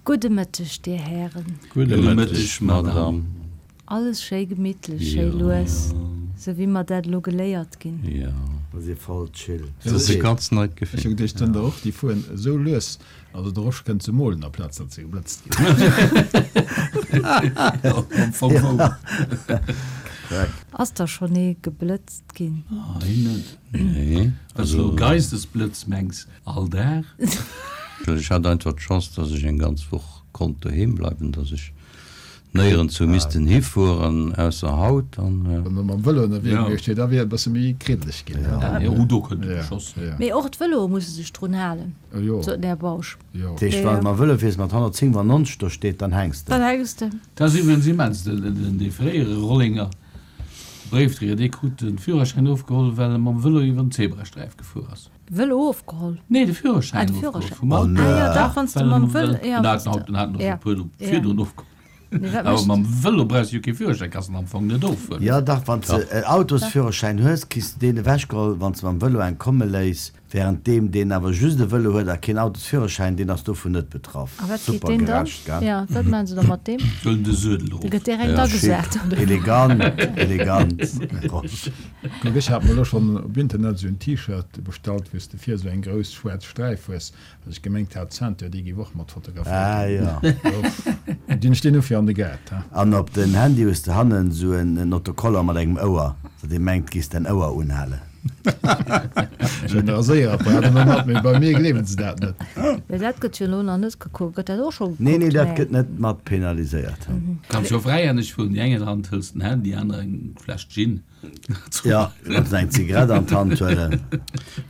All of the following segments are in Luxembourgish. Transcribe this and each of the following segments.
Gudde Mëtteg, Dir Hären. Gudde Mëtteg, Madame. Alles schéi gemittlech, schéi lues, sou wéi mer dat elo geléiert ginn. Jo. Mer si voll chill. Dat ass e ganz neit Gefill. Ech hu geduecht, sënn der och, déi fueren esou lues, also de Rosch kënnt se molen aplaz datt se geblëtzt ginn. Am Fong wouer. Ass der schonn ee geblëtzt ginn? Hei net. Nee. Wann s du elo Geistesblëtz mengs, all Dag. Ech hat einfach d'Chance, datt ech eng ganz Woch konnt doheem bleiwen, datt ech Néierens hu missten hifueren, ausser haut. An. Wann e mam Vëlo ënnerwee gewiescht wier, da wier et e bësse méi kriddeleg ginn. Jo, do kënnt e geschoss. Mee och d'Vëloe musse sech drun halen, sot den Här Bausch. Dat heescht, wann de mam Vëlo fiers mat 197 do steet, dann hänks de. Dann hänks de. Dat ass iwwregens immens, dee fréiere Rollenger Bréifdréier, dee krut de Führerschäin ofgeholl, well e mam Vëlo iwwer den Zebrasträif gefuer ass. Vëlo ofgeholl? Nee, de Führerschäin ofgeholl vum Auto. Ah jo, dach, wann s de mam Vëlo, jo. Den hat en hat en och e puer virdrun ofgeholl. Awer mam Vëlo brauchs de jo kee Führerschäin, kanns en am Fong net ofhuelen. Jo dach, wann s de en Autosführerschäin hues, kriss de deen ewechgeholl, wann s de mam Vëlo eng komme léiss. Während deem, deen awer just e Vëlo huet a keen Autosführerschäin, deen ass dovun net betraff. A wat geet Super deen dann? gerecht, gell? Jo, wat maachen se da mat deem? Huelen de Suedel erof. Dee gëtt direkt agesat, Schick, oder? elegant, elegant, Rosch. Kuck, ech hat mer elo schonn op Internet esou en T-Shirt bestallt, wou s de vir esou eng grouss schwaarz Sträif hues, well ech gemengt hat, d'Ceinture, déi géif och mat fotograféiert Ah jo. Dinn ech deen ufir an de Gaart, ha? An op den Handy hues de hannen esou en Autocollant mat engem Ouer, datt ee mengt, giss däin Ouer unhalen. Ech hunn e Raséierapparat ëmmer mat, mee bei mir gleewen se dat net. Mee dat gëtt jo elo nach net gekuckt. Gëtt dat och scho gekuckt? Nee, nee, dat gëtt net mat penaliséiert. Kanns jo fräihänneg fueren, déi eng Hand hëls den Handy, déi aner eng Fläsch Gin. Jo, kanns eng Zigarett an d'Hand huelen.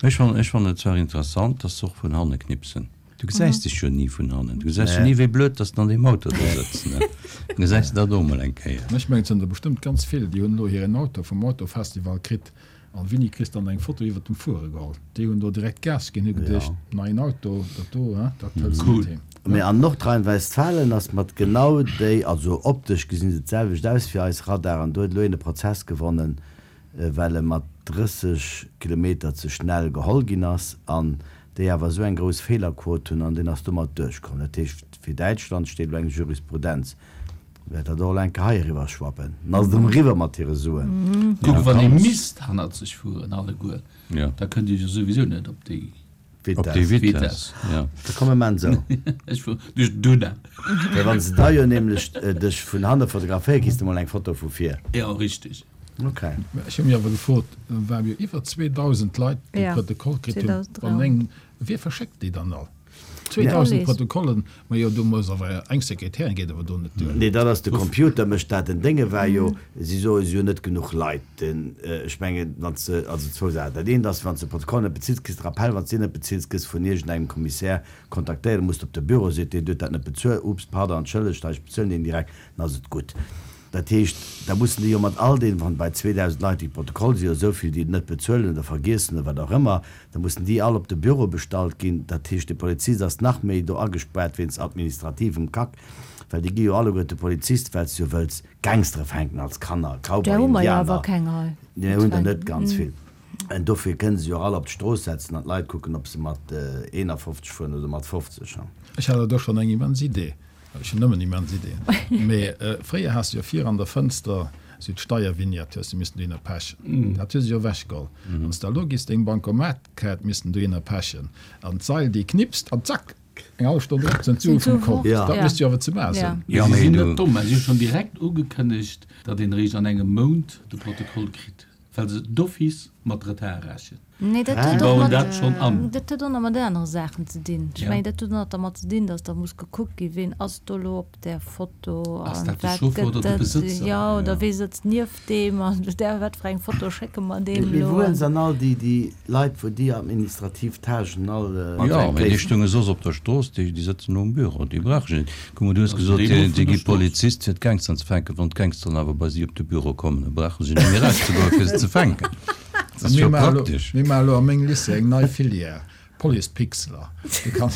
Ech fannen, ech fannen et zwar interessant, dass se och vun hanne knipsen. Du gesäis dech jo ni vun hannen. Du gesäis jo ni, wéi blöd dass de an deem Auto do sëtz, ne? Dann gesäis de dat och emol eng Kéier. Ech mengen, et sinn der bestëmmt ganz vill, déi hunn elo hiren Auto vum Autofestival kritt an wéini kriss dann eng Foto iwwert dem Fuere geholl. Déi hunn do direkt Gas ginn, hu geduecht, neien Auto, dat do, hein, dat hëls de mat heem. Mee an Nordrhein-Westfalen ass mat genau déi, also optesch gesinn se d'selwecht aus wéi eis Radaren, do huet elo een e Prozess gewonnen, well e mat 30 Kilometer ze schnell geholl ginn ass an déi awer esou eng grouss Feelerquot hunn an deen ass domat duerchkomm. Dat heescht, fir Däitschland steet elo eng Jurisprudenz. Wäert dat och elo eng Kéier hei eriwwer schwappen? Dann ass et erëm eriwwer mat hire Suen. Kuck, wann ee misst hannerzeg fueren, alleguer, da kënnt Dir jo souwisou net op déi Op déi Vitess, jo. Da komm mir maan esou. Ech fuer duerch d'Duna. Well wann se da jo nämlech dech vun hanne fotograféieren, kriss de mol eng Foto vu vir. Jo, richteg. Ok. Ech hu mir awer gefrot, et ware jo iwwer 2.000 Leit, déi Protokoll kritt hunn. Wann eng, wie verschéckt déi dann all? 2.000 Protokollen, majo do muss awer eng Sekretärin, geet awer do net duer. Nee, dat ass de Computer mécht dat. Den Dénge war jo, si soe si hunn net genuch Leit. Den, ech mengen, wann s de, also zwou Saachen, dat eent ass, wann s de Protokoll net bezills, kriss de Rappell, wann s de deen net bezills, gëss vun iergendengem Kommissär kontaktéiert, da muss de op de Büro, seet deen, du huet dat net bezuelt, ups, pardon, entschëllegt, hei, ech bezuelen deen direkt, dann ass et gutt. Dat heescht, da mussen déi jo mat all deenen, wann bei 2.000 Leit déi Protokoll si jo esou vill, déi et net bezuelen oder vergiessen oder wat och ëmmer, da mussen déi all op de Büro bestallt ginn. Dat heescht, de Polizist ass nach méi do agespaart wéinst administrativem Kack, well déi gi jo alleguer de Polizist, well s de jo wëlls Gangstere fänken als Kanner, Där Cowboy, hu mer jo awer Indianer. keng hei. Där hunn der net ganz vill. En dofir kënne se jo och all op d'Strooss setzen an d'Leit kucken, ob se mat 51 fueren oder mat 50. Ech hat awer do schonn eng immens Idee. Ech hunn nëmmen immens Ideeën. Mee fréier has de jo vir an der Fënster esou d'Steiervignette hues de missen dohinner pechen. Dat hu se jo ewechgeholl. Wann s de elo giss deng Bankomatkaart missen dohinner pechen an d'Sail déi knipst an zack, eng hallef Stonn drop sinn d'Sue vum Kont. Dat misst jo awer ze maachen sinn. Mee si sinn net domm, si hu schonn direkt ugekënnegt, datt een eréischt an engem Mount de Protokoll kritt, well se d'office mat Retard rechnen. Nee, dat Si huet och bauen mat, dat schonn an. dat huet och nach mat anere Saachen ze dinn. Ech Ja. mengen, dat huet och nach dermat ze dinn, datt da muss gekuckt ginn, ween ass do elo op där Foto Ass an dat de wat Chauffer gëtt oder de dat, Besëtzer? jo, oder wee sëtzt nieft deem an där, wat fir eng Foto schécke mer deem Mee elo wou hunn an. se dann all déi, déi Leit, wou déi administrativ Tâchen all Jo, mee déi léisen? stounge soss op der Strooss, déi, déi sëtzen elo um Büro, déi brauche ech net. Kuck mol, du hues Also gesot, déi elo déi vun der gi Strooss. Polizist fir d'Gangsteren ze fänken. Wann d'Gangsteren awer bei si op de Büro kommen, da brauche se net méi erauszegoen, fir se ze fänken. Dat ass jo praktesch. Mir maache elo a mengem Lycée eng nei Filière, Police-Pixeler. Dir kann,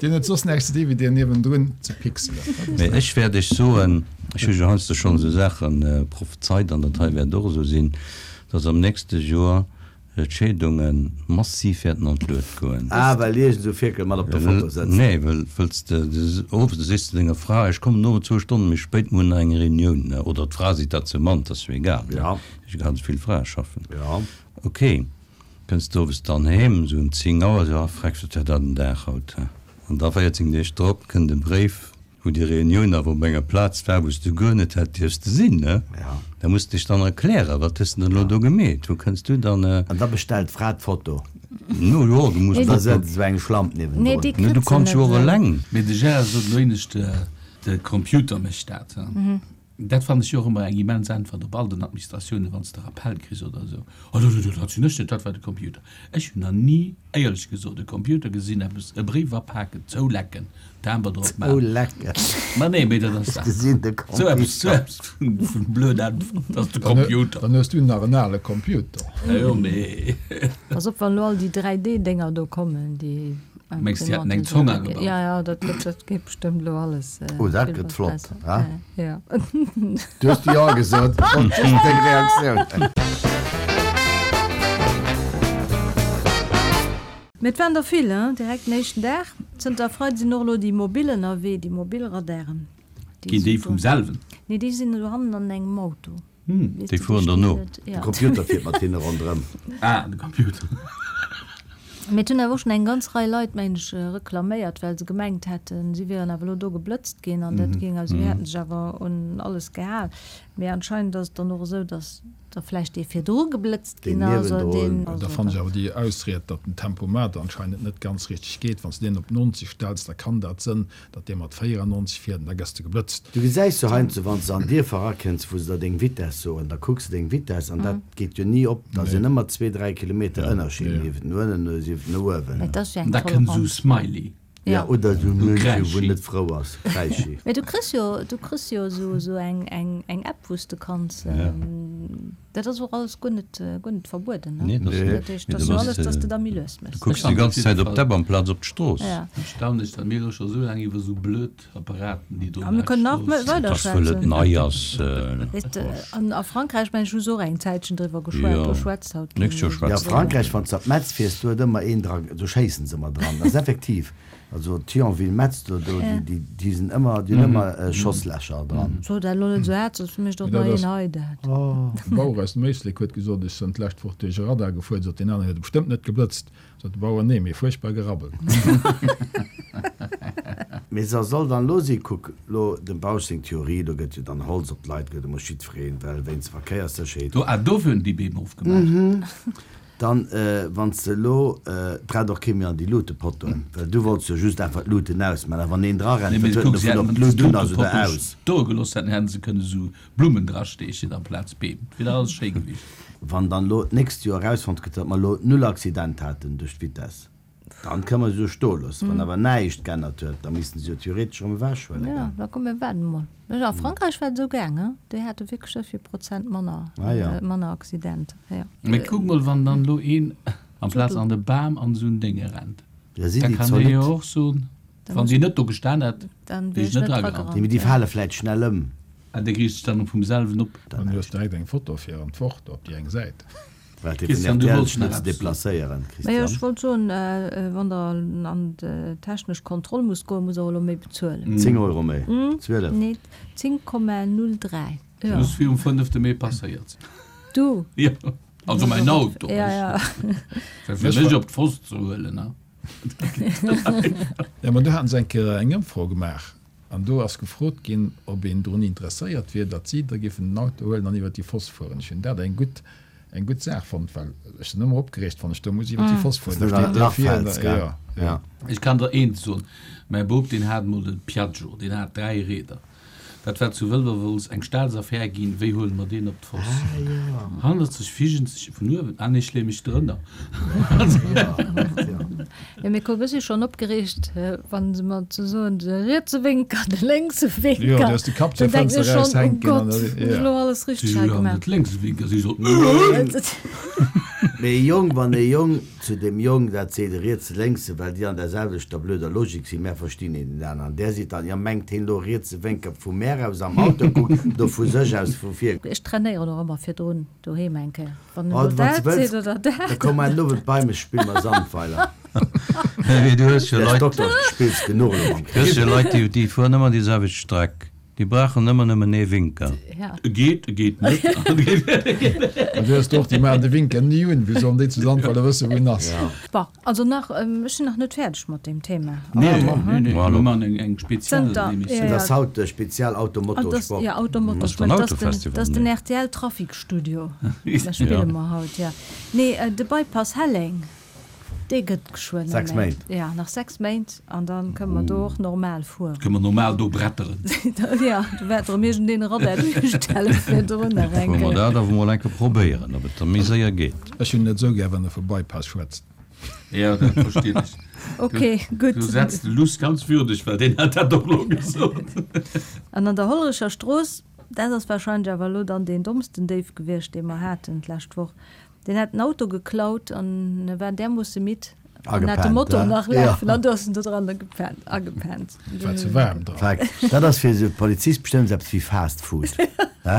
Dir hutt soss näischt ze di wéi dir niewendrun ze pixelen. Mee ech wäert iech soen, ech hu jo heiansdo schonn esou Saache prophezeit, an dat hei wäert och esou sinn, dass am nächste Joer. D'Scheedunge massiv wäerten an d'Luet goen. Ah, well iergend esou Fierkel mat op der Foto sëtzt. Nee, well wëlls de owes, da sees de denger Fra, ech kommen owes zwou Stonne méi spéit, mir hunn nach eng Reunioun, ne? Oder d'Fra seet dat zum Mann, 't ass jo egal, ne? Ja. Ganz vill Frae schaffen. Ja. Ok, kënns de owes dann heem, esou ëm 10 Auer, sou, ah freck, wat war dat en Dag haut, he? An da 14 Deeg drop kënnt e Bréif, Wou déi Reunioun awer op enger Plaz war, wou s du guer net hätt dierfste sinn, ne? Ja. Da muss de dech dann erklären, Wat hues de denn elo do gemeet? Wou kënns du dann. An da bestellt d'Fra d'Foto. No, jo, du muss. Da sëtzt esou eng Schlamp niewendrun. Nee, déi Ne, kritt du se kanns net jo och esou. eleng. Mee de Gérard sot elo éinescht, de Computer mécht dat. Dat fannen ech jo och ëmmer eng immens Äntwert op all den Administratiounen, wann s de Rappel kriss oder esou, Oh, dat sinn ech net, dat war de Computer. Ech hunn nach ni, éierlech gesot, e Computer gesinn, eppes, e Bréif apaken, zoulecken, Timber drop maachen. Zoulecken. Ma nee, mee dat ass Ech gesinn de esou eppes, Computer. esou eppes vun blöd Äntwert, dat ass de Computer. Dann hues du nach en ale Computer. Jo, mee. Pass op, wann elo all déi 3D-Dénger do kommen, déi. Mengs de, déi hätten eng Zong agebaut? Ja, ja, dat gëtt, dat geet bestëmmt elo alles. Oh, dat gëtt flott, ha? Ja. Du hues jo gesot, ech wollt just deng Reaktioun. Mee et waren der vill, hein, direkt den éischten Dag. Zënter Freide sinn och elo déi mobil ënnerwee, déi mobil Radaren. Ginn déi vum selwen? Nee, déi sinn elo hannen an engem Auto. Déi fueren der no. De Computer fiert mat hinne ronderëm. Ah, de Computer. Mee et hunn awer och schonn eng ganz Rei Leit, mengen ech, reklaméiert, well se gemengt hätten, si wieren awer elo do geblëtzt ginn an dat géing, also si hätte sech awer un alles gehal. Mee anscheinend ass et dann och esou, datt da vläicht dee virdru geblëtzt Deen ginn ass oder niewendrun. deen. Da fannen ech awer déi Ausried, datt den Tempomat anscheinend net ganz richteg geet. Wann s de deen op 90 stells, da kann dat sënn, Datt dee mat 94 fiert an da gëss de geblëtzt. Du gesäis jo heiansdo, wann s de an Dierfer erakënns, wou se der deng Vitess soen, da kucks de deng Vitess an dat geet jo ni op. Da sinn ëmmer zwee, dräi Kilometer Ënnerscheed, sief et no ënnen oder sief et no uewen. Mä et ass jo eng Da kënnt esou Toleranz. Smiley. Ja, oder esou Esou Mënsche, wou Kräischi. net frou ass, Kräischi. Mä du kriss jo, du kriss jo esou, esou eng, eng, eng App, wou s de kanns. Dat ass och alles guer net, guer net verbueden, ne? Nee, dat ass net. Dat heescht, dat ass jo alles, dass de da méi lues Du méchs. kucks déi ganz Zäit op d'App amplaz op d'Strooss. Ja. Erstaunlech, datt mir elo scho sou laang iwwer sou blöd Apparaten, déi do A mir kënnen nach Strooss. weider Dat ass, wëll et schwätzen. nei ass. Weess de, an a Frankräich, mengen ech, hu se och eng Zäitchen driwwer geschwat. Jo, Do schwätzt haut kee nächst Joer méi. Ja, schwätzt. Frankräich, wann s de op Metz fiers, do huet ëmmer een dra, do schéissen se ëmmer dran. Dat ass effektiv. Also Thionville-Metz, do, do, déi, déi, déi sinn ëmmer, déi hunn ëmmer Schosslächer dran. So dat elo net esou haart, soss mécht och nach een hei dat. E Bauer aus dem Éislek huet gesot, Ech sënn d'lescht Woch duerch e Radar gefuer, sot deen aneren, huet e bestëmmt net geblëtzt. Sot de Bauer, Nee, mee fuerchtbar gerabbelt. Mee sa soll dann lo si, kuck lo dem Bausch seng Theorie, do gëtt jo dann Holz op d'Leit gehuet, do muss jiddwereen, well wéinst Verkéierssécherheet. Do, ah, dofir hunn déi Beem ofgemaach. Dann, wann s de elo, et rennt och kee méi an déi Luutepottoen, well du wollts jo just einfach d'Luuten ausmaachen, a wann een dra rennt, wat huet en dovun, ob d'Lut un ass oder aus? Stoe gelooss hätten, hätten se kënne sou Blummen drasteechen amplaz Beem. Et wier dach alles schéi gewiescht. Wann dann elo d'nächst Joer erausfonnt gëtt, datt mer elo null Accident haten duerch d'Vitesse, dann kënne mer se jo stoe loossen. Wann awer näischt g'ännert huet, da missten se jo theoretesch erëm ewechhuele Jo, gell? da komm mir waarden emol. A Frankräich war et esou gaang, he? Déi hate wierklech esou vill Prozent manner, Ah ja. manner Accidenter, jo. Mee kuck mol, wann dann elo een amplaz an de Bam an esou en Dénge rennt, Ja, si da déi kann dee jo zolidd? och soen, Da wann muss déi net do gestan hätt, Dann wier wier ech ech net net dragerannt. dragerannt, Nee, mee déi ja. fale vläit schnell ëm. Ah, dee riicht sech dann vum selwen op. Dann hues direkt eng Foto fir an d'Wort op déi eng Säit. Well fir Christian, den du RTL wollts net nach ze eppes soen. deplacéieren, Majo, ech Christian. wollt soen, wann der an d'technesch Kontroll musst goen, musst der och elo méi bezuelen. 10 Euro méi? 12? Nee, 10,03. Dat muss virum fënnefte Mee passéiert sinn. Du? Jo, also mäin Auto. Ja, ja. Well fir mech op d'Foss ze huelen, ne? Jo, ma do haten se eng Kéier eng Ëmfro gemaach an do ass gefrot ginn, ob een drun interesséiert wier, datt si da géifen den Auto huelen an iwwer déi Foss fueren. Ech hunn dat eng gutt, eng gutt Saach fonnt, well ech sinn ëmmer opgereegt, wann ech do muss iwwer déi Foss fueren. Da steet dee vir an da, jo, jo. Ech kann der eent soen, Mäi Bop, deen hat emol de Piaggio, deen hat 3 Rieder. Dat war zu Wëlwerwolz eng Staatsaffär ginn, wéi huele mer deen op d'Foss? Hannerzeg Figenzeg vun uewen, ah nee, ech leeë mech drënner. Jo, mee kuck, ech si schonn opgereegt, wa se mer zu soen, de rietse Wénker, de lénkse Wénker. Jo, du hues de Kapp zur Dann denken Fënster ech schonn, eraushänken oh an Gott, da, hunn ech jo. elo alles Si richteg hei jo, gemaach? net lénkse Wénker, si sot. Mee e Jong, wann e Jong zu dem Jong dat seet, e rietse lénkse, well déi an der selwechter blöder Logik sinn, mär verstinn een den aneren, där seet dann, jo mengt heen elo rietse Wénker vu mär aus am Auto kuckt oder vu sech aus vu vir. Ech trainéieren och ëmmer virdrun doheem eng Kéier, wann en elo dat seet oder dat. Da komm mar den Owend bei mech, spille mer Sandweiler. Mee du hues jo Här Leit, Dokter, du spills genuch elo mam du hues jo Leit, déi, déi fueren ëmmer déi selwecht Streck. Déi brauchen ëmmer nëmmen ee Winker. E geet, e geet net. An du hues och, déi maachen de Winker ni un. Wéi sollen déi zu Sandweiler wëssen, wou en ass? Bon, also nach, ech sinn nach net fäerdeg mat deem Thema. Nee, nee, nee, mir maachen eng speziell Emissioun. Dat ass haut de Spezial Auto-Moto-Sport. Jo, Auto-Moto-Sport. Dat ass den RTL-Trafic-Studio. Da spille mer haut, jo. Nee, de Bypass Helleng. Dee gëtt geschwënn. 6 Méint. Ja, nach 6 Méint an da kënne mer do och normal fueren. Kënne mer normal do bretteren. Ja, do wäert erëm iergendeen e Radar duerchstelle virdrun nach eng Kéier. Wëlle mer dat awer mol eng Kéier probéieren, ob et da méi séier geet. Ech hunn net esou gär, wann e vu Bypass schwätzt. Jo, dat verstinn ech. Ok, gutt. Du setz de Luss ganz würdeg, well deen hat dat och elo gesot. An an der Hollerecher Strooss, dat ass warscheinlech awer elo dann deen dommsten Déif gewiescht, dee mer haten d'lescht Woch, Deen hat den Auto geklaut an e war därmoosse midd an hat de Motor nach lafen an du ass en do dran gepennt, agepennt. War ze waarm dran. Fakt. Dat ass fir esou Polizist bestëmmt eppes wéi Fast Food, he?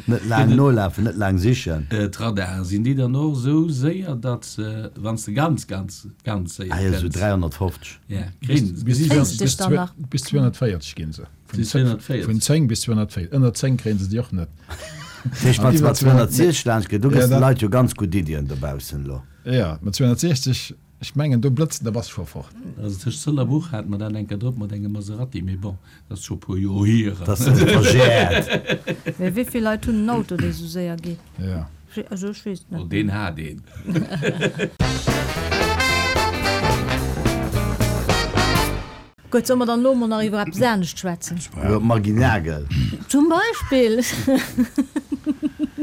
Net laang nolafen, net laang sichen. D'Radaren, sinn déi dann och esou séier, datt se, wann s de ganz, ganz, ganz séier Ah jo, esou kënns, 350. ja, kréien se, gesi se dech dann nach? Bis 240 ginn se. Vun 10 bis 240. Ënner 10 kréien se déi och net. Dat heescht, wann s de mat 260 laanscht gees, do gëss de Leit jo ganz gutt Iddien dobaussen elo. Jo, mat 260, ech mengen, do blëtzt en, da bass de scho fort. Also tëscht Sëll a Buch hate mer dat eng Kéier drop mat engem Maserati, mee bon, dat ass scho e puer Joer hier. Dat ass verjäert. Mee wéi vill Leit hunn en Auto, dee sou séier geet? Jo. Also ech weess et net. Oh, deen hat een. Gutt, solle mer dann elo emol nach iwwer eppes anescht schwätzen? Iwwer d'Maggy Nagel. Zum Beispill.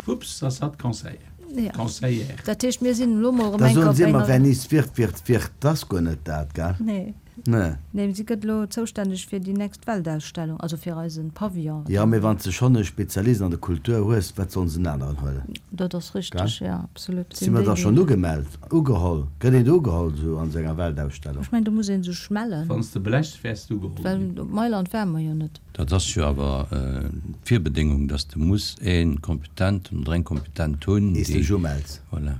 Ups, ass hatt Conseiller? Ja. Conseillère. Dat heescht, mir sinn elo mol erëm Da eng soen Kéier si op ëmmer, enger. Wer nichts wird, wird wirt. Dat ass guer net dat, gell? Nee. Nee. Nee, si gëtt elo zoustänneg fir déi nächst Weltausstellung, also fir eise Pavillon. Jo, mee wann s de schonn e Spezialist an der Kultur hues, wat sollen se en aneren huelen? Dat ass richteg, jo, absolut. Si mer da schonn ugemellt, ugeholl? Gëtt een do ugeholl esou an esou enger Weltausstellung? Ech mengen, do muss ee sech mellen. Wann s de blechs, wäers du ugeholl Well ginn. op Mailand ware mer jo net. Dat ass jo awer d'Virbedéngung, dass de muss ee Kompetenten oder eng Kompetent hunn, Ees déi. dech umells. Voilà.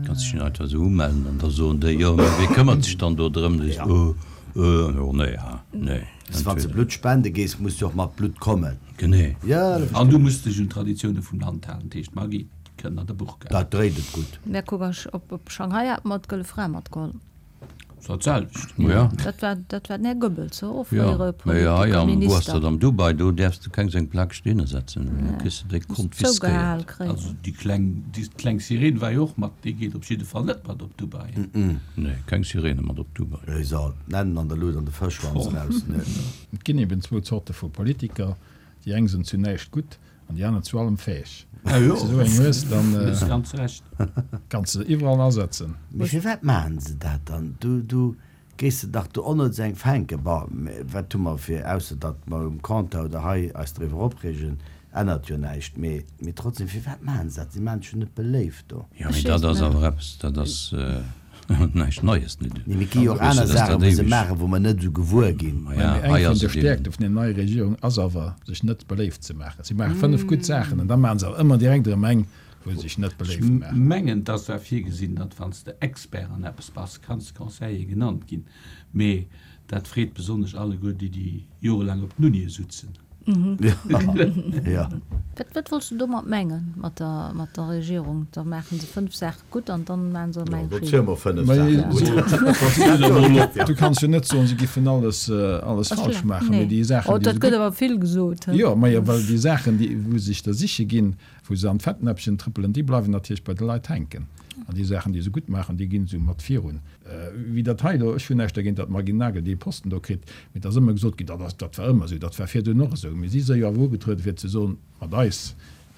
Kanns dech net einfach esou umellen an da soen déi, jo, mä wee këmmert sech dann do drëm? Da sees de, Euh, euh, oh nee, ha, nee. Wann s de Blutt spende gees, muss du och mat Blutt kommen. Genee. Jo, dat An du muss dech un d'Traditioune vum Land halen, dat heescht, Maggi kënnt an de Burka. Dat dréit et gutt. Mä kuck, op Shanghai hat mer d'Gëlle Fra matgeholl. Ass dat selwecht. Ja. Dat war, dat war den Här Goebbels, ho, och Ja, fréiere mee hei am, wou ass Politikerminister. dat, am Dubai, do däerfs de keng seng Plak stinne setzen, da kriss de déi Muss zougehaal konfiskéiert. kréien. Also déi kleng, déi kleng Sirene war jo och mat, déi geet op jidde Fall net mat op Dubai. Nee, keng Sirene mat op Dubai. Wéi soll d'Nennen an der Lut an de Fëschschwanz raus, ne? Et ginn eben zwou Zorte vu Politiker, déi eng sinn zu näischt gutt an déi aner zu allem fäeg. Ah jo, Wann s de esou eng hues, dann hues ganz Recht. kanns de se iwwerall asetzen. Mee firwat maachen se dat dann? Du, du géiss se dach do onnëtz eng fänken. Bon, mä wat hu mer fir, ausser datt mer um Compteur oder hei eis driwwer opreegen, ännert jo näischt. Mee, mee trotzdem, firwat maachen se dat? Si maachen sech jo net beléift do. Jo, mee dat ass awer eppes, dat ass Näischt Neies, net? Nee, mee et gi jo och aner Saachen, wou se maachen, wou mer net esou gewuer ginn. Mä eng vun de Stäerkte vun der neier Regierung ass awer, sech net beléift ze maachen. Si maache 5 gutt Saachen an da maache se awer ëmmer direkt erëm eng, wou se sech net beléift maachen. Ech mengen, et ass zwar virgesinn, datt wann s de Expert an eppes bass, kanns de Conseiller genannt ginn, mee dat freet besonnesch alleguer déi, déi jorelaang op den Unie sutzen. Jo. Wat, wat wollts de domat mengen, mat der, mat der Regierung? Da maachen se 5 Saache gutt an dann maachen se erëm eng Do schief. ziele mer 5 Saache gutt. Du kanns jo net soen, se giffen alles, alles falsch maachen, mee déi Saachen, Oh, déi dat se gëtt gutt. awer vill gesot, he? Jo, majo, well déi Saachen, déi, wou se sech da siche ginn, wou se an d'Fettnäppchen trëppelen, déi bleiwen natierlech bei de Leit hänken. An déi Saachen, déi se gutt maachen, déi ginn esou mat virun. Wéi dat hei elo, ech hunn näischt dergéint, datt d'Margine Nagel dee Posten do kritt, mee et ass ëmmer gesot ginn, dat ass, dat war ëmmer esou, dat war virdrun och esou. Mee si si jo awer ugetrueden, fir ze soen, mat eis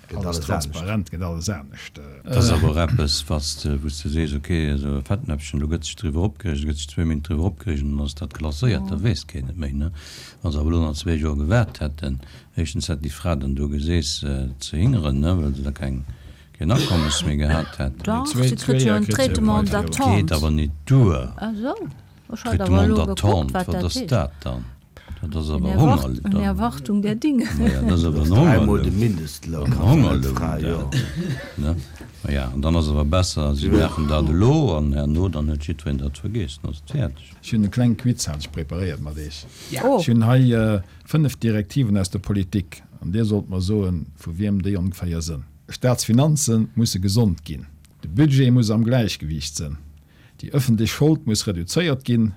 Gëtt alles alles anescht. transparent, gëtt alles anescht. Dat ass awer och eppes, wat s de, wou s de sees, ok, esou e Fettnäpfchen, do gëtt sech driwwer opgereegt, do gëtt sech zwéi Minutten driwwer opgereegt an dann ass dat klasséiert, da weess keen et méi, ne? Wa se awer elo nach zwéi Joer gewaart hätten, éischtens hätt déi Fra dann do geseess ze hingeren, ne, well se da keng. Keen Akommes méi gehat hätt. Dach, si kritt jo en Traitement d'attente. Geet awer nit duer. Ah sou, ech hat awer Traitement elo gekuckt, d'attente, wat wat dat ass heescht. dat dann? Dat ass awer Eine Honger. Erwart-, eine Erwartung der Dinge. Maja, dat ass awer en Dräimol de Hongerloun. Mindestloun En kann se net Hongerloun fräi, jo. dat, ne? Maja, an dann ass awer besser, si maachen dat elo an herno dann huet jiddwereen dat vergeess, dann ass et fäerdeg. Ech hunn e kleng Quiz hat ech preparéiert mat Iech. Oh. Ech hunn hei 5 Direktiven aus der Politik an Dir sollt mer soen, vu wiem déi ongeféier sënn. Staatsfinanze musse gesond ginn. De Budget muss am Gläichgewiicht sënn. Déi ëffentlech Schold muss reduzéiert ginn.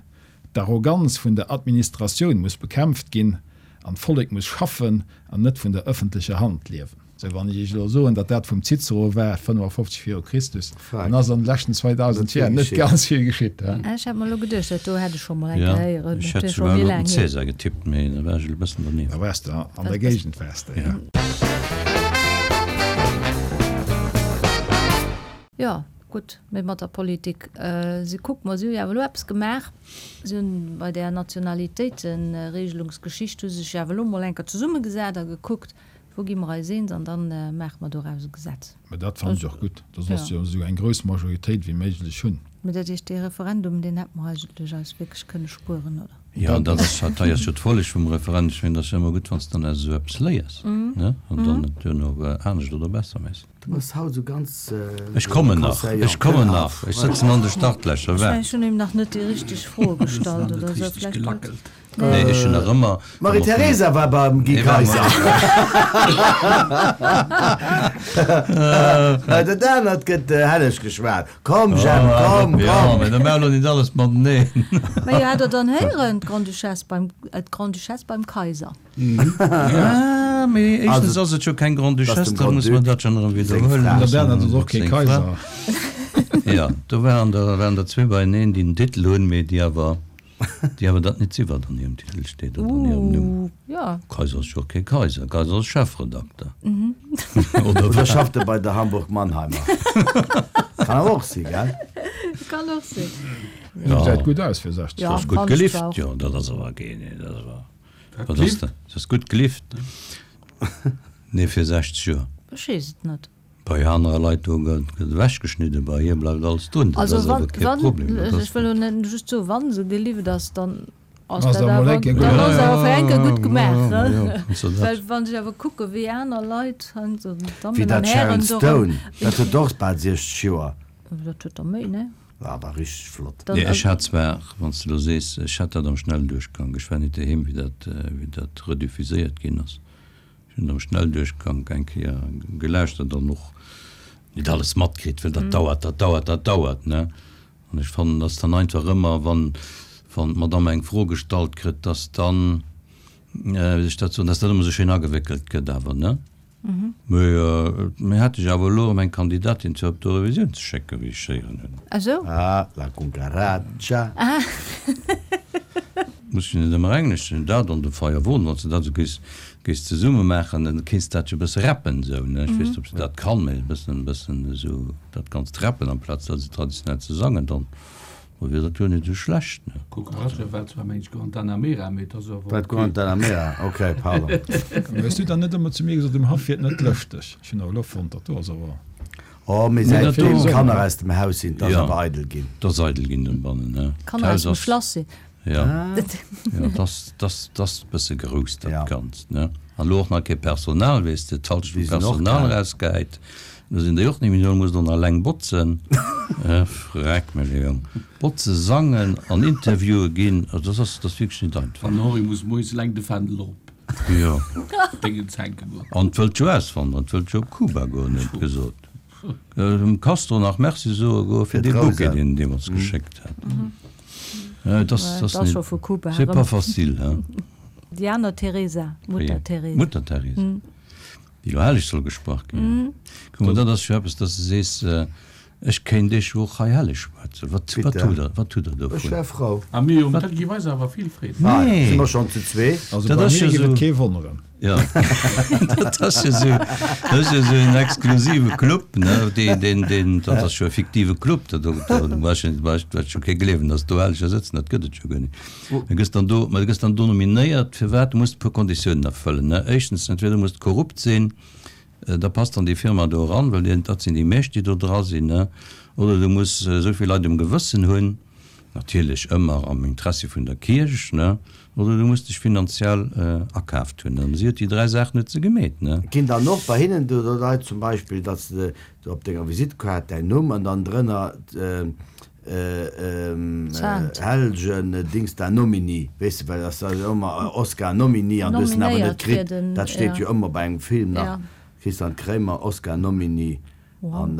D'Arroganz vun der Administratioun muss bekämpft ginn an d'Vollek muss schaffen an net vun der ëffentlecher Hand liewen. Sou, wann ech Iech elo soen, datt dat vum Cicero war, 55 viru Christus, dann ass an de leschten 2000 Joer net ganz vill geschitt. Ech hat mer elo geduecht, dat do hätt ech scho mol eng Jo, Kéier héieren. ech Dat hätt wier scho souguer méi elo op den laang hier. Cäsar getippt, mee da war ech elo e bëssen dernieft. Da waars de an der Géigend, waars de, jo. Jo, gutt, mee mat der Politik, si kuck mer, si hu jo awer elo eppes gemaach, si hunn bei där Nationalitéitenregelungsgeschicht hu se sech jo awer elo mol eng Kéier zesummegesat a gekuckt, wou gi mer eis eens an da maache mer doraus e Gesetz. Mä dat fannen ech och gutt, da solls de jo esou eng grouss Majoritéit wéi méiglech hunn. Mä dat heescht, dee Referendum, deen hätte mer eigentlech eis wierklech kënne spueren, oder? Jo, dat ass, dat hei ass jo d'Folleg vum Referendum. Ech mengen, dat ass jo ëmmer gutt, wann s de dann aus esou eppes léiers, ne, an dann et duerno anescht oder besser méchs. Du bass haut esou ganz Ech kommen nach, ech kommen nach, ech sëtzen an de Startlächer, Ech waart. mengen, ech hunn him nach net déi richteg Froe gestallt oder esou. Vläicht huet. Nee, ech hunn nach ëmmer. D'Marie-Theresa war beim Guy Kaiser. Dat anert gëtt helleg geschwat. Komm Jemp, komm, komm! Jo, mä da maache elo net alles mateneen. Mä jo, hat Der dann héieren, d'Grande-Duchesse beim, d'Grande-Duchesse beim Kaiser? Ah, mee éischtens ass et jo keng Grande-Duchesse, da muss mer dat schonn erëm widderhuelen. An der Bernhard ass och kee Kaiser. Jo, do waren der, waren der zwee beieneen, déi den Titel hunn, mee déi awer, déi awer dat net si wat an hirem Titel steet oder an hirem Numm. Jo. Kaiser ass jo och kee Kaiser, Kaiser ass Chefredakter. Oder Oder wat? schafft e bei der Hamburg-Mannheimer? Kann awer och si, gell? Kann och sinn. Gesäit gutt aus fir 60. Ja, Ass gutt fand ech gelift, zwar och. jo, dat ass awer keen, dat ass awer. Wat ass dat? Dat ass gutt gelift. Nee, fir 60 Joer. Ech weess et net. Bei anere Leit do gëtt ewechgeschnidden, bei hir bleift alles drun. Dat Also ass wann, awer kee wann, Problem. Dat ech ass wëll elo net just soen, wa se gelift ass, dann ass Ass dat dat emol awer, eng Kéier gutt dann ass gemaach. awer fir eng Kéier gutt gemaach. Ja, ja, ja, dat. Well wann ech awer kucke wéi aner Leit, also Wéi Dammen an dat Sharon Hären, do Stone, dat huet och bal 60 Joer. Dat huet der méi, ne? War awer richteg flott. Nee, ech hat zwar, wann s de elo sees, ech hat dat am Schnellduerchgank, ech war nit doheem, wéi dat, wéi dat rediffuséiert ginn ass. Ech hunn et am Schnellduerchgank eng Kéier gelauschtert an och nit alles matkritt, well dat dauert, dat dauert, dat dauert, ne? An ech fannen, dass dann einfach ëmmer, wann, wann d'Madame eng Fro gestallt kritt, dass dann, wéi soll ech dat soen, dass dat ëmmer esou schéin agewéckelt gëtt awer, ne? Mee mir hätte jo awer elo erëm eng Kandidatin fir op d'Eurovisioun ze schécken, wéi ech héieren hunn. Ah sou? Ah, la cucaracha. Muss jo net ëmmer Englesch sinn. Dat an de Feierwon, wann s de dat esou géifs, géifs zesumme maachen, dann kéints de dat jo e bësse rappen esou, ne? Ech weess net, ob se dat kann, mee e bëssen, e bëssen esou dat Ganzt rappen amplaz dat esou traditionell ze sangen, dann. Ma wier dat jo net esou schlecht, ne? Cucaracha war zwar mengt Guantanamera, mee et ass awer Wat ok. Guantanamera? Ok, pardon. Hues du dann net ëmmer zu mir gesot, um Haff wier et net lëschteg? Ech hunn awer elo fonnt, dat do ass awer. Oh, mee Mee säit dat do. deem d'Kanner aus dem Haus sinn, 't ass Jo, awer eidel ginn. 't ass eidel ginn dobannen, ne? D'Kanner aus D'Haus dem ass. Schlass sinn. Jo, jo, 't ass, 't ass, 't ass e bësse grouss, dat Ja. Ganzt, ne? An elo och nach kee Personal, weess de, d'Halschent Déi vum sinn och Personal gaang. erausgehäit. Do sinn déi och net méi do, muss dann alleng botzen. Freck mech, Jong. Botze, sangen an Interviewe ginn, also dat ass, dat ass wierklech net einfach. An den Henri muss moies eleng de Fändel op Jo. Déngens hänke goen. An wëllt jo auswanderen, wëllt jo op Kuba goen, huet gesot. Dem Castro nach Merci soe goe fir dee Bouquet, deen en deemools geschéckt hat. Dat ass, dat ass net, c'est pas facile, hein. Déi aner Teresa, Mutter Teresa. Mutter Teresa. Déi elo helleg soll gesprach ginn. Kuck mol, dat ass jo eppes, dass de sees, ech kéint iech jo och hei helleg schwätzen. Wat, wat hutt der, wat hutt der Ech dovun? wär frou. A mir jo, dat géif eis awer vill Freed Ah, Nee. si mer schonn zu zwee? Also Dat bei ass mir jo géif et esou. kee wonneren. Jo, dat ass jo esou, dat ass jo esou en exklusive Club, ne, deen, deen, deen, dat ass jo e fiktive Club, dat do, do brauch een, brauch, brauch jo kee gleewen, dass do Helleger sëtzen, dat gëtt et jo guer net. Du gëss dann do, ma du gëss dann do nominéiert, firwat? Du muss e puer Konditiounen erfëllen, ne? Éischtens, entweder muss de korrupt sinn. Da passt an déi Firma do eran, well dat sinn déi meescht, déi do dra sinn, ne? Oder du muss esou vill Leit um Gewëssen hunn, natierlech ëmmer am Interessi vun der Kierch, ne? Oder du muss dech finanziell akaaft hunn. An si huet déi 3 Saachen huet se gemeet, ne? Ginn dann och bei hinnen do Leit zum Beispill, datt s de op denger Visitekaart däin Numm an dann drënner Helgen Dings da Nomini, weess de, well ass da jo ëmmer Oscar Nomini an du hues en awer net kritt. Dat steet jo ëmmer bei engem Film nach, Christian Kraemer Oscar Nomini an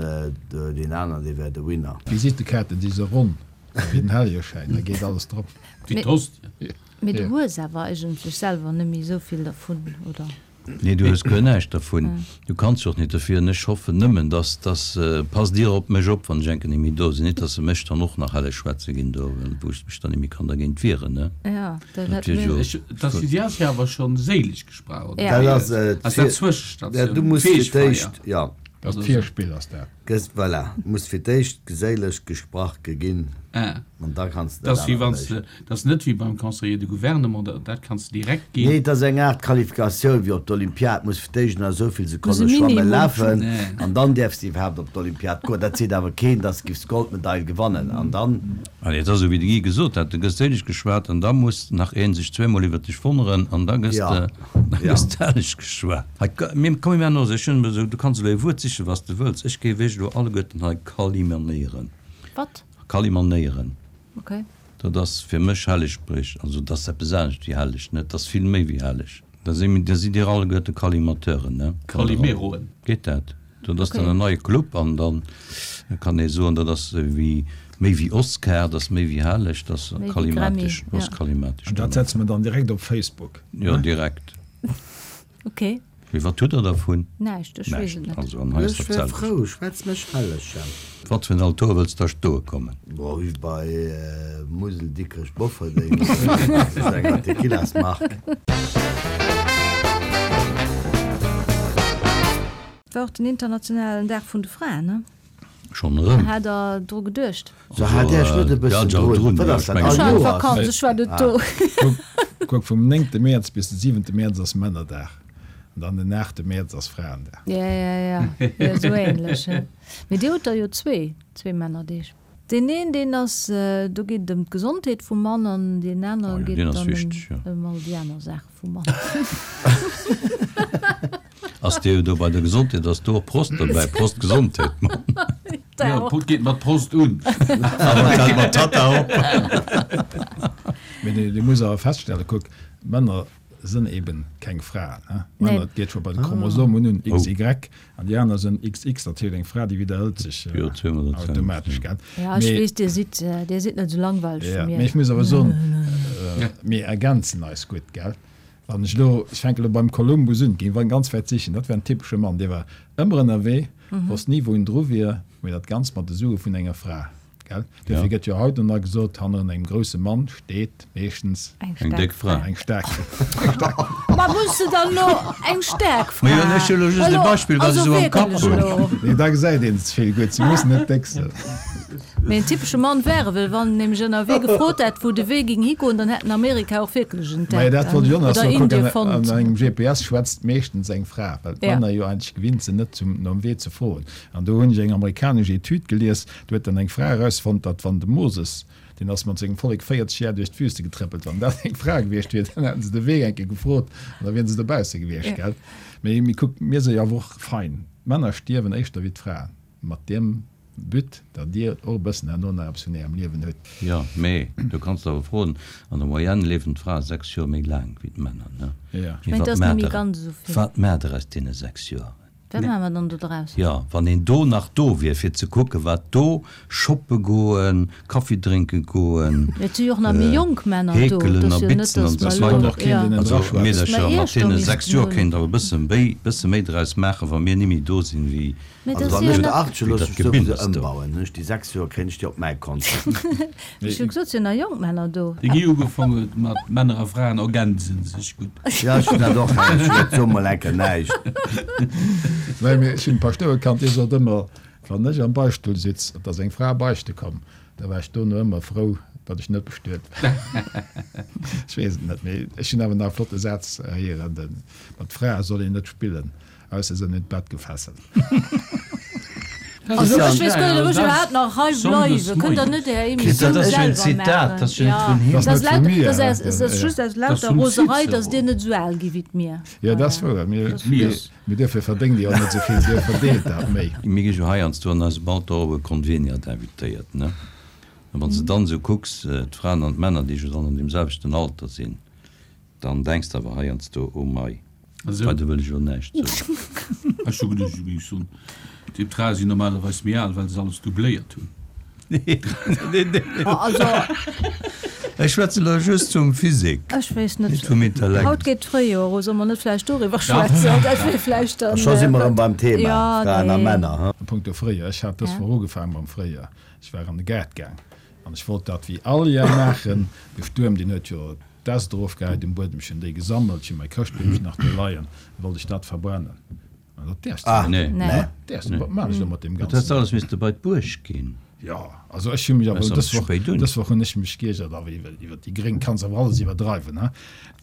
deen aneren dee wär de Winner. D'Visitekaarten si sou ronn wéi den Hellegeschäin, da geet alles drop. Wéi d'Hostie. Mee du hues awer eigentlech selwer net méi esou vill dervun, oder? Nee, du hues guer näischt dervun. Du kanns jo och nit derfir. An ech hoffen nëmmen, dass, dass, passt Dir op mech op, wann ech enke nit méi do sinn, nit dass se mech dann och nach helle schwätze ginn do, wou ech mech dann nit méi kann dergéint wieren, ne? Ja, dat Dat wier jo. Ech, dass si ass jo awer schonn séileg gesprach, oder? Dat ass Ass dat d'Zwëschestatioun? Du muss fir d'éischt, jo. Dat ass d'Virspill, ass dat. Gëss, voilà, muss fir d'éischt geséileg gesprach geginn. Ah. An da kanns de Dat ass wéi wann s de, dat ass net wéi beim Conseiller de Gouvernement, dat, dat kanns de direkt ginn. Nee, et ass eng Aart Qualifikatioun wéi op d'Olympiad, muss fir d'éischt nach esou vill Sekonne schwammen, lafen an dann däerfs de iwwerhaapt op d'Olympiad goen. Dat seet awer keen, dass de giffs d'Goldmedail gewannen an dann. Ah nee, et ass esou wéi de Guy gesot hat, du gëss séileg geschwat an da muss nach een sech zweemol iwwert dech wonneren an da gëss de, da gëss de helleg geschwat. Hei, mir, komm mir maachen elo esou, ech hunn esou, du kanns elo e Wuert sichen, wat s de wëlls, ech géif iech elo alleguerten hei kalimanéieren. Wat? Kalimanéieren. Ok. Dat ass fir mech Hellegspréch. Also dat ass eppes anescht wéi helleg, ne? Dat ass vill méi wéi helleg. Da si mir, da sidd Dir alleguerte Kalimateuren, ne? Kalimeroen. Geet dat? Dat ass dann en neie Club an dann kann ee soen, dat ass wéi, méi wéi Oscar, dat ass méi wéi helleg, dat ass kalimatesch, dat ass kalimatesch. An dat setze mer dann direkt op Facebook, ne? Jo, direkt. Ok. Mee wat hutt der dervun? Näischt, ech weess et net. Also an hei ass dat selwecht. Ech wär frou, schwätz mech helleg, Jemp. Wat fir en Altor wëlls da stoe kommen? Boah, wéi bei Musel, Dikrech, Bofferdeng, dat ass eng Tequilasmark. Et war och den internationalen Dag vun de Fraen, ne? Schonn erëm? Hat der dru geduecht? So hat Iech net e bëssen drun? Wat ass dat all Ech war an Vakanz, ech war net do. Kuck, vum néngte Mäerz bis de siwente Mäerz ass Männerdag an dann den aachte Mäerz ass Fraendag. Ja, ja, ja, ja, esou ähnlech. Mee Dir hutt der jo zwee, zwee Männerdeeg. Deen een, deen ass, do geet et ëm d'Gesondheet vum Mann an deen anere geet et dann ëm all déi aner Saache vum Mann. Ass dir do bei der Gesondheet, ass do och Prost dobäi? Prost Gesondheet, Mann! Jo, et geet mat Prost un. Awer et hält mat Tata op. Mee dir musst awer feststellen, kuck, Männer sënn eben keng Fraen. Männer, et geet scho bei de Chromosomen un, XY, an déi aner sënn XX. Dat heescht, eng Fra, déi widderhëlt sech automatesch, gell? Ja, ech weess, dir sidd, dir sidd net esou langweileg wéi mir. Mee ech muss awer soen, mir ergänzen eis gutt, gell? Wann ech elo, ech fänken elo beim Kolumbus un, géing wann ganz wäit sichen, dat war en typesche Mann, dee war ëmmer ënnerwee, wosst ni wou en dru wier, mee dat Ganzt mat de Sue vun enger Fra, gell? Duerfir gëtt jo haut nach gesot, hanneren engem grousse Mann steet meeschtens Eng déck Fra. Eng staark Fra. Ma muss se dann elo eng staark Fra? Majo, ech hu elo just e Beispill, wat ech esou am Kapp hunn. Nee, da gesäit een ze vill. Gutt, se mussen net déck sinn. Mee en typesche Mann wär e, well wann en nämlech ënnerwee gefrot hätt, wou de Wee ging higoen, dann hätt en Amerika och wierklech Majo, entdeckt dat wollt ech och nach oder soen. Kuck, Indie an fonnt. engem GPS schwätzt meeschtens eng Fra, well Ja. d'Männer jo eigentlech gewinnt sinn, net zum nom Wee ze froen. An do hunn ech eng amerikanesch Etüd gelies, do huet dann eng Fra erausfonnt, datt wann de Moses, deen ass mat sengem Vollek 40 Jar duerch d'Wüste getréppelt, wann dat eng Fra gewiescht wier, dann hätten se de Wee eng Kéier gefrot an da wieren se dobausse gewiescht, Ja. gell? Mee, mee kuck, mir si jo awer och fein. D'Männer stierwen éischter wéi d'Fraen. Mat deem But, datt Dir och e bëssen herno nach eppes vun Ärem Liewen hutt. Jo, mee do kanns de awer froen, an der Moyenne liewen d'Frae 6 Joer méi laang wéi d'Männer, ne? Jo. Ech mengen, et ass net méi ganz esou vill. Wat maacht der aus deene 6 Joer? Wat maache mer dann do draus? Jo, wann een do nach do wier, fir ze kucken, wat do, shoppe goen, Kaffi drénke goen, Et si jo och nach méi jonk Männer do. heekelen Et a ass jo net, bitzen an datt esou mer elo, weider. jo, Also datt mer Meedercher, mat iech do deene 6 missten Joer hunn. kéint der awer e bësse méi, bësse méi draus maachen, wa mir ni méi do sinn, wéi Mee Also dat wann si jo ech net. der Arche Wéi loosse dat ech souwisou Gebinnes do. ëmbauen, hunn ech déi 6 Joer kréien ech déi op mäi Kont. Ech hu gesot, et sinn nach jonk Männer do. De Guy ugefaang huet mat Männer a Fraen ergänzen sech gutt. Jo, ech hunn dat och héieren, ech hunn so mol enker näischt. Well mir, ech hunn e Paschtouer kannt, dee sot ëmmer, Wann ech am Beichtstull sitz, et ass eng Fra beichte komm, da war ech dono ëmmer frou. Datt ech net bestuet war. Ech weess et net, mee ech hunn awer nach e flotte Saz héieren, de Mat Frae soll een net spillen, ausser se hunn een d'Bett gefesselt. Also ech weess guer net, ob ech iwwerhaapt nach hei bleiwen. Kënnt der net Är Emissioun Dat ass jo en selwer Zitat, dat ass jo net vun him. Dat ass net vun mir. Dat ass just aus lauter Roserei, datt Dir net esou al gi wéi d'Mir. Jo, dat ass wouer. Mee duerfir verdéngt Dir och net esou vill, Dir verdeelt dat méi. Mir gi jo heiansdo an eisem Alter och op e Conveniat invitéiert, ne? A wann s de dann esou kucks, d'Fraen an d'Männer, déi jo dann an deem selwechten Alter sinn, dann denks de awer heiansdo, Oh mei, weider wëll ech elo näischt soen. Ech hu geduecht, du géings soen, déi Frae sinn normalerweis méi al, well se alles doubléiert hunn. Nee, nee, nee. Ech schwätze elo just vum Physique, Ech weess net. net vum Intellekt. Haut geet d'Fréijoer u, solle mer net vläicht doriwwer schwätzen? Dat wier vläicht dann. Scho si mer erëm beim Thema, Fraen a nee. Männer, he? A punkto Fréijoer, ech hat dës Woch ugefaangen mam Fréijoer. Ech war an de Gaart gaang an ech wollt dat wéi all Jar maachen. De Stuerm, deen huet jo d'Äst erofgehäit um Buedem. Ech hunn déi gesammelt, ech hunn mäi Chrëschtbeemchen nach do leien, da wollt ech dat verbrennen. An dat däerfs de net. Nee. Dat däerfs de net. Wat maan ech elo mat deem Dat häss de Ganzen? alles misste bei d'Buerg ginn. Jo, also ech hu mech awer Ass dës awer Woch, spéit un. dës Woch hunn ech mech geiergert, awer iwwer, iwwer déi Gréng kanns awer alles iwwerdreiwen, he.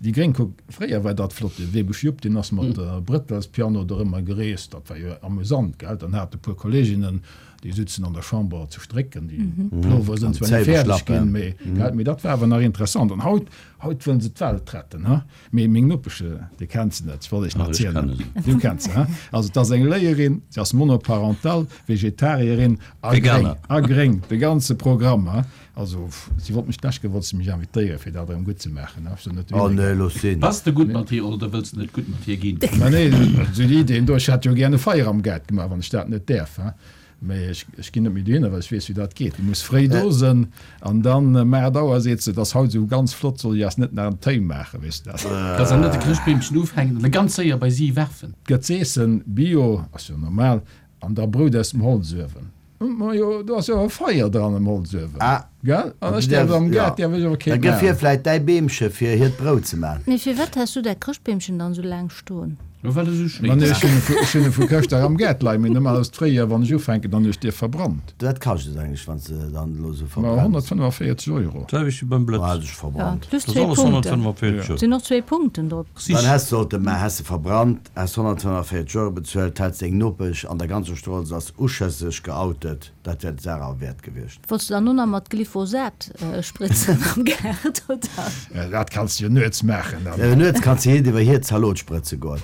Déi Gréng, kuck, fréier war dat flott, de Webesch Jupp, deen ass mat Brëttelspiano dorëmmer gereest, dat war jo amusant, gell. Dann hat e puer Kolleginnen, Déi sutzen an der Chamber zu strécken, déi Plover sinn zwar net fäerdeg ginn, mee gell, mee dat war awer nach interessant. An haut, haut wëllen se d'Welt retten, ha? Mee meng Nopesch, Dir kennt se net, ech wollt Iech nach erzielen, du kenns se, ha? Also et ass eng Léierin, se ass monoparental, Vegetarierin a gréng, a gréng, de ganze Programm, ha? Also, si wollt mech d'lescht Kéier wollt se mech invitéieren, fir dat erëm gutt ze maachen. Ech sot net, Oh nee, looss sinn. Bass de gutt mat hir oder wëlls de net gutt mat hir ginn? Mä nee, esou déi Ideen do, ech hätt jo gär e Feier am Gaart gemaach, wann ech dat net däerf, hein. Mä ech, ech ginn net méi dohinner, well ech weess, wéi dat geet. Du muss fréi do sënn an dann ëm 8 Auer seet se, et ass haut esou ganz flott, soll ech eis net nach en Téi maachen, weess de dat. Kannst awer net de Chrëschtbeemchen ufänken an e ganz séier bei si werfen. Gëtt z'eessen, Bio, ass jo normal, an da Brout aus dem Holzuewen. Majo, do ass jo e Feier dran am Holzuewen, gell? An ech däerf am Gaart däerf ech awer kee maachen. Da gëff hir vläit däi Beemche fir hiert Brout ze man. Mee firwat has du dat Chrëschtbeemchen dann esou laang stoen? Jo, well e sou schéin ass. Ech hunn e vu Chrëschtdag am Gaart leien, mee normalerweis d'Fréijoer, wann ech ufänken, dann hunn ech dee verbrannt. Wat kascht et eigentlech, wann s de dann elo esou verbrenns? Ma 145 Euro. D'selwecht wéi beim Blëtz. Hat ech verbrannt. Plus Dat zwee ass alles Punkten. 145 Euro. Sinn och zwee Punkten drop. Dann häss sollte man, häss se verbrannt. Häss 145 Euro bezuelt, hätt seng Nopesch an der ganzer Strooss als uschësseg geoutet, dat wär d'Saach awer wäert gewiescht. Wollts de dann och nach mat Glyphosat spritzen am Gaart, oder? Dat kanns de jo nuets maachen dann. Jo, nuets kanns de hiert iwwer hir Zalot sprëtze goen.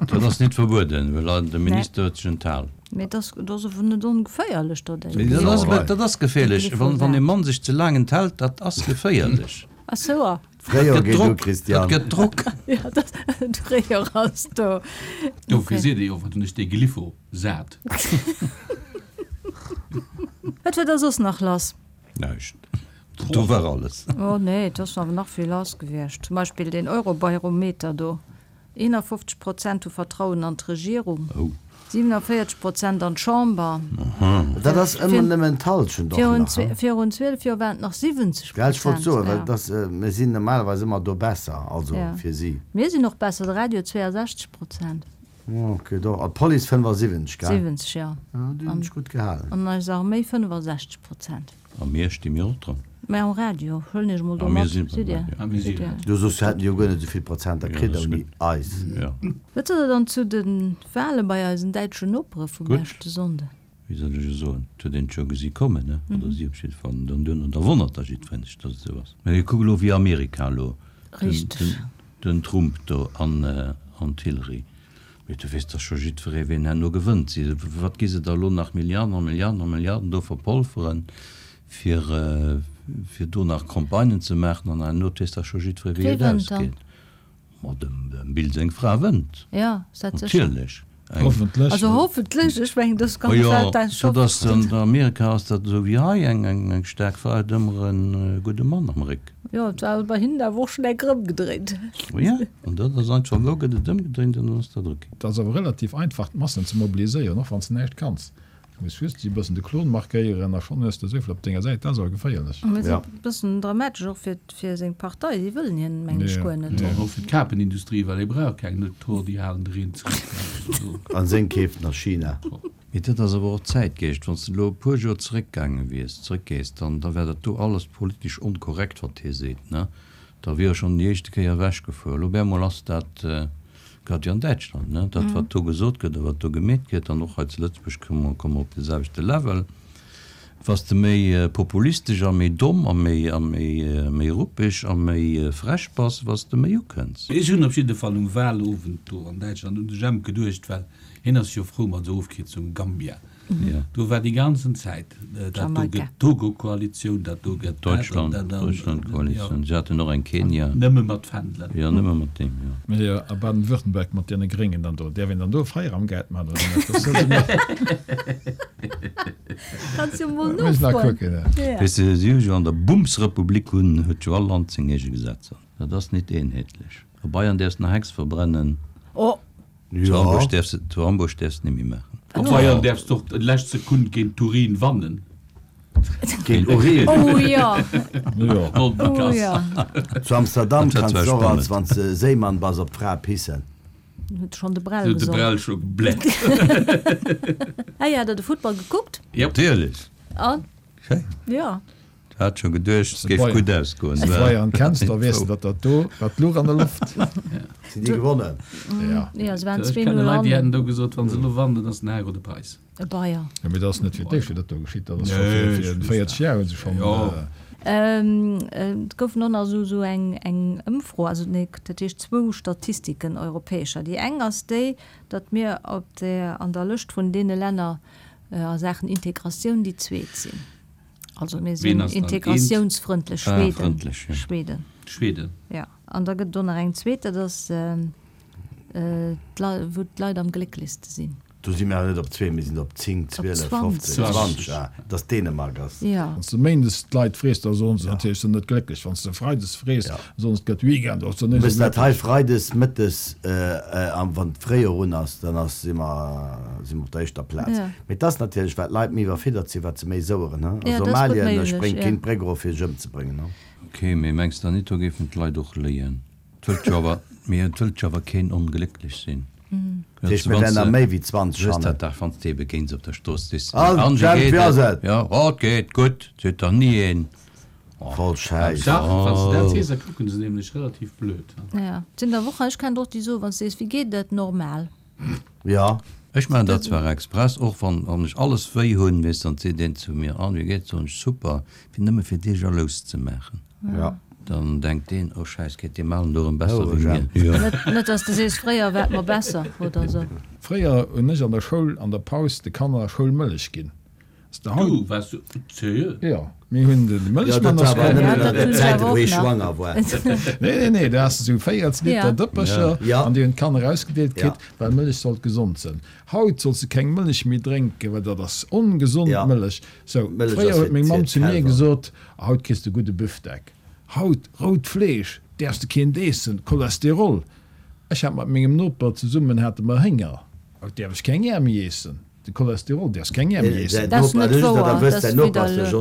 Dat ass nit verbueden, well de Minister huet sech enthal. Mee dat ass awer net ongeféierlech, dat eng. Dat ass geféierlech, wann e Mann sech ze laang enthält, dat ass geféierlech. Ach sou, ah. D'Fréijoer geet u, Christian. Dat gëtt Drock. Ja, d'Fréijoer ass do. Dofir seet ee jo, wat hunn ech dee Glyphosat. Wat war da soss nach lass? Näischt. Do war alles. Oh nee, et ass awer nach vill lass gewiescht. Zum Beispill deen Eurobarometer do. 51 Prozent hu Vertrauen an d'Regierung, 47 Prozent an d'Chamber. Dat ass ëmmer nëmmen d'Hallschent och nach, he? Virun 12 Joer waren et nach 70 Prozent. Gell, ech wollt soen, well et ass, mir sinn normalerweis ëmmer do besser, also fir si. Mir sinn och besser, de Radio 62 Prozent. Ok, do, an d'Police 75, gell? 70, jo. Jo, déi hunn sech gutt gehalen. An eis Arméi 65 Prozent. A mir sti mir och dran. Mä um Radio, huelen Iech emol do mat, sidd Dir? Sidd Dir? Du soss hätten déi jo guer net esou vill Prozenter kritt ouni eis. Wat sot Der dann zu de Wale bei eisen däitschen Nopere vum leschte Sonnden? Wéi soll ech e soen, et huet een et scho gesi kommen, ne? Oder si op jidde Fall. An dann duerno, da wonnert da jiddwereen sech, datt et esou ass. Mä kuck elo wéi Amerika elo, den Trump do an d'Hillary. Mee du weess dach scho jiddweree ween herno gewënnt. Si, wat gi se da elo nach Milliarden a Milliarden a Milliarden do verpolferen, fir, fir do nach Campagnen ze maachen an herno weess dach scho jiddweree wéi Wee et wënnt dann? ausgeet. Ma dem, dem Bill seng Fra wënnt. Jo, ass dat sécher? Natierlech. Eng. Hoffentlech. Also hoffentlech, ech mengen dës Ma ganz jo, Welt dat dat ass, an Amerika ass dat esou wéi hei, eng, eng, eng staark Fra huet ëmmer e gudde Mann am Réck. Jo, et war bei hinnen awer och schon enk erëmgedréint. Jo, an dat ass einfach, elo gëtt et ëmgedréint an dann ass dat ok. Et ass awer relativ einfach d'Massen ze mobiliséieren, och wann s de näischt kanns. Du muss just e bëssen de Klon markéieren a schonn hues de esouvill op denger Säit. Dat ass awer geféierlech. Mee et ass e bëssen dramatesch och fir fir seng Partei. Si wëllen hien, mengen ech, guer net. An och fir d'Kapenindustrie, well ee brauch keng, net d'Hor, déi halen de Reen zeréck. An seng keeft nach China. Mee dat ass awer och Zäitgeescht. Wann s de elo e puer Joer zeréckgaange wiers, zeréckgees, dann da wär dat do alles politesch onkorrekt, wat hie seet, ne? Da wier e schonn déi éischte Kéier ewechgefuer. Elo op eemol ass dat, grad wéi an Däitschland, ne, dat wat do gesot gëtt a wat do gemeet gëtt, an och hei zu Lëtzebuerg komme mer op de selwechte Level, Wa s de méi populistesch a méi domm a méi a méi méi ruppeg a méi frech bass, wa s de méi ukënns. Ech hunn op jidde Fall um Wahlowend do an Däitschland un de Jemp geduecht, well hien ass jo frou mat esou Ofkierzungen, Gambia. Do war déi ganzen Zäit, dat do gëtt d'Togo-Koalitioun, dat do gëtt dat an dat an. Deutschland-Koalitioun, se haten och eng Kenia. Nëmme mat Fändelen. Jo, nëmme mat deem, jo. Mee jo, a Baden-Württemberg mat deene Gréngen dann do, däerf een dann do Feieramgeld maachen oder net? Dat soll se mer. Kanns jo mol nofroen. Weess de, si hu jo an der Bumsrepublik hunn, huet jo all Land seng eege Gesetzer. Dat ass nit eenheetlech. A Bayern däerfs nach Hex verbrennen. Oh! Zu Hamburg däerfs de, zu Hamburg däerfs de net méi maachen. A Bayern däerfs de och d'lescht Sekunn géint Turin wannen. Géint Urin? Oh jo! Oh jo! Zu Amsterdam kanns de och als, wann s de Séimann bass, op d'Fra pissen. Huet schon de Brell gesong. De Brell scho gebläert. Ah ja, der de Futtball gekuckt? Natierlech. An? Schéin. Jo. Hat scho geduecht, et géif gutt ausgoen. Wann s de Bayern kenns, da weess de, datt dat do, dat luch an der Loft. Sinn déi gewonnen? Ja. Jo, se waren Ech 2, kenne 0 Leit, déi an. hätten do gesot, wa se elo wannen, dann ass den Hago de Preis. E Bayer. Jo, mee dat ass net fir d'éischt, wéi dat do geschitt. Dat ass scho fir fir 40 Jar hu se schonn. Et goufen och nach esou esou eng eng Ëmfro, also nee, dat heescht zwou Statistiken, europäescher. Déi eng ass déi, datt mir op der an der Lëscht vun deene Länner a Saachen Integratioun déi zweet sinn. Also mir sinn integratiounsfrëndlech, Schweden. Schweden. Schweden. Jo. An da gëtt et och nach eng zweet, dat ass wou d'Leit am glécklechste sinn. Do si mir awer net op zwee, mir sinn op 10, 12, 15, 20, ah, dass Dänemark ass. Wann s de méindes d'Leit frees, da soen se natierlech, se sinn net glécklech. Wann s de freides frees, da soen se, et gëtt Weekend, och se net esou glécklech. Méchs dat hei freides mëttes, wann d'Fréijoer un ass, dann ass, si mer, si mer op der éischter Plaz. Mee et ass natierlech, wat d'Leit méi iwwerfiddert sinn, wat se méi soueren, he. A Somalien spréngt keen d'Bréck erof, fir sech ëmzebréngen, he. Ok, mee mengs der nit, do géifen d'Leit och léien? Et wëllt jo awer, mee et wëllt jo awer keen onglécklech sinn. Dat heescht, mir wären der méi wéi 20 hannen. Dat dach, wann s de ebe géints op der Strooss sees, An, An, wéi Jemp, geet wéi ass et? et? Jo, oh, et geet gutt, seet dach ni een. Voll Schäiss. Dach, wann s de dat sees, da kucken se nämlech relativ blöd. Jo, et sinn der och, ech kennen der och, déi soen, wann s de sees, wéi geet et? Normal. Jo. Ech maachen dat zwar express, och wann wann ech alles wéi hunn, weess, dann seet een zu mir, An, wéi geet et? Soen ech, Super, fir nëmme fir dee jalous ze maachen. Jo. Dann denkt deen, Oh Schäiss, geet deem alen do erëm besser wéi mir. Jo. Net, dass de sees, fréier war et mer besser, oder esou. Fréier hunn ech an der Schoul an der Paus de Kanner Schoulmëllech ginn. Du, waars du seriö? Jo, mir hunn de Mëllechmann ass komm. Jo, dat war awer nëmmen an den Zäiten, wou hie schwanger war. Nee, nee, nee, do has de sou 40 Liter Dëppercher an déi hunn d'Kanner ausgedeelt kritt, well Mëllech sollt gesond sënn. Haut solls de keng Mëllech méi drénken, well dat ass ongesond Mëllech. Sou, fréier huet meng Mamm zu mir gesot, Haut kriss de gudde Büfdeck. Haut, rout Fleesch däerfs de keent eessen, Cholesterol. Ech hat mat mengem Noper zesummen hate mer Hénger. Haut däerf ech keng Äer méi eessen. De Cholesterol däerfs keng Äer méi eessen. Dat ass net wouer, dat ass widderluecht.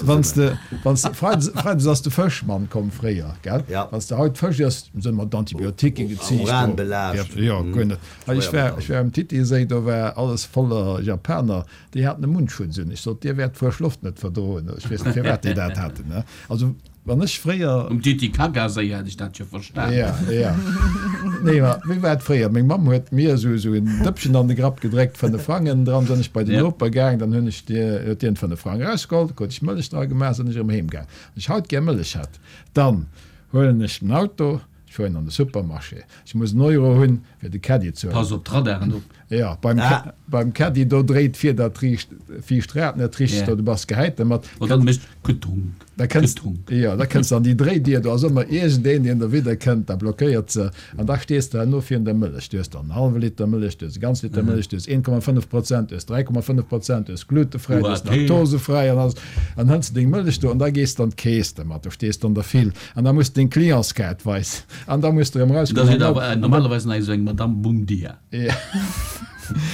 Wanns de, wanns de, Freides, Freides ass de Fëschmann komm fréier, gell? Wanns de haut Fësch iess, sënn mat Antibiotiquen geziicht. Uranbelaascht. Jo, guer net. Hei, ech war, ech war um Titiséi, do war alles voller Japaner, déi haten e Mundschutz un. Ech sot, Dir wäert d'frësch Loft net verdroen. Ech weess net, firwat déi dat haten, ne? Also, Wann ech fréier. Um Titicacaséi hätt ech dat jo verstan. Ja, ja. Nee, ma wéi war et fréier? Meng Mamm huet mir esou, esou en Dëppchen an de Grapp gedréckt, fënnef Frangen dran. Sënn ech bei den Noper gaang, dann hunn ech dir, huet dien fënnef Frang erausgeholl, da krut ech Mëllech dra gemaach, sënn ech erëm heem gaang. Wann ech haut gär Mëllech hätt, dann huelen ech den Auto, ech fueren an de Supermarché, ech muss en Euro hunn, fir de Caddie ze huelen. Pass op d'Radaren op. Jo, beim, beim Caddy, do dréit d'Fieder dat riicht, viischt Rad net richteg, do, du bass gehäit dermat. An dann mécht getunk, Da kënns, getunk. jo, da kënns de an déi Dréidier, do ass ëmmer iergendeen, deen derwidder kënnt, da blockéiert se an da stees de herno virun der Mëllech. Du hues dann en hallwe Liter Mëllech, du hues e ganz Liter Mëllech, du hues 1,5 Prozent, du hues 3,5 Prozent, du hues glutefräi, du hues laktosefräi an alles. An hëls de deng Mëllech do an da gees de an d'Keess dermat, do stees de an der File an da muss de deng Clientskaart weisen an da muss de erëm Da erauskommen seet an awer da. normalerweis nach esou eng Madame Bum Dia. Ja.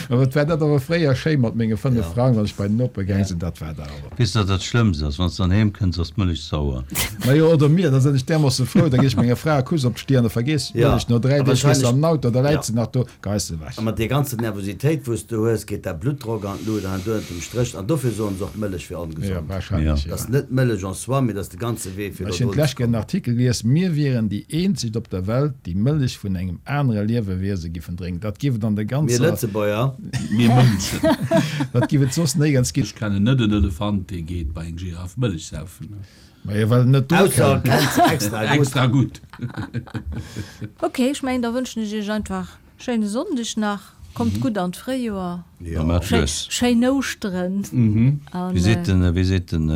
Mä wat war dat awer fréier schéi mat menge 5 Frang, wann ech bei den Noper gaang sinn, dat war dat awer. Weess de wat dat Schlëmmst ass? Wann s de dann heem kënns, ass d'Mëllech sauer. Majo, oder mir, da sinn ech därmoosse frou, da ginn ech menger Fra e Kuss op d'Stier an da vergeess ech d'Mëllech. No 3 Deeg gees de an den Auto, da läit se nach do, geis se ewech. A mat deer ganzer Nervositéit, wou s de hues, geet däi Bluttdrock an d'Lut an do ënnert dem Stréch. An dofir soen se och, d'Mëllech wier Jo, ongesond. wahrscheinlech, Dat ass net d'Mëllech en soi, mee dat ass de ganze Wee, fir Ech do hunn drun ze d'lescht Kéier en kommen. Artikel gelies, mir wieren déi eenzegt op der Welt, déi Mëllech vun engem anere Liewewiese giffen drénken. Dat giff et an der Mir ganzer. Lëtzebuerger. Mir Mënschen. Dat giff et soss néierens ginn. Ech kennen net en Elefant, dee geet bei eng Giraffe Mëllech saufen. Majo, well en net do Ausser kennt. kennt se extra gutt. Extra gutt. Ok, ech mengen da wënschen ech iech einfach schéine Sonndeg nach, kommt gutt an d'Fréijoer, Ja, maat lues. schéin Ouschteren an. Wéi seet den, wéi seet den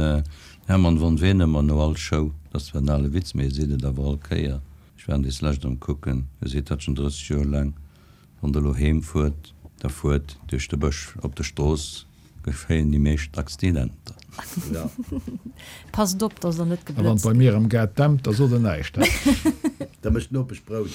Herman von Veen ëmmer no all Show, dat ass zwar en ale Witz, mee e seet et awer all Kéier, ech war dees lescht am kucken, e seet dat schon 30 Joer laang, Wann der elo heem fuert, da fuert duerch de Bësch. Op der Strooss geschéien déi meescht Accidenter. Passt op, dass der net A wann geblëtzt bei gitt. mir am Gaart dämpt, da sot en näischt, he? Da mécht d'Nopesch Brout.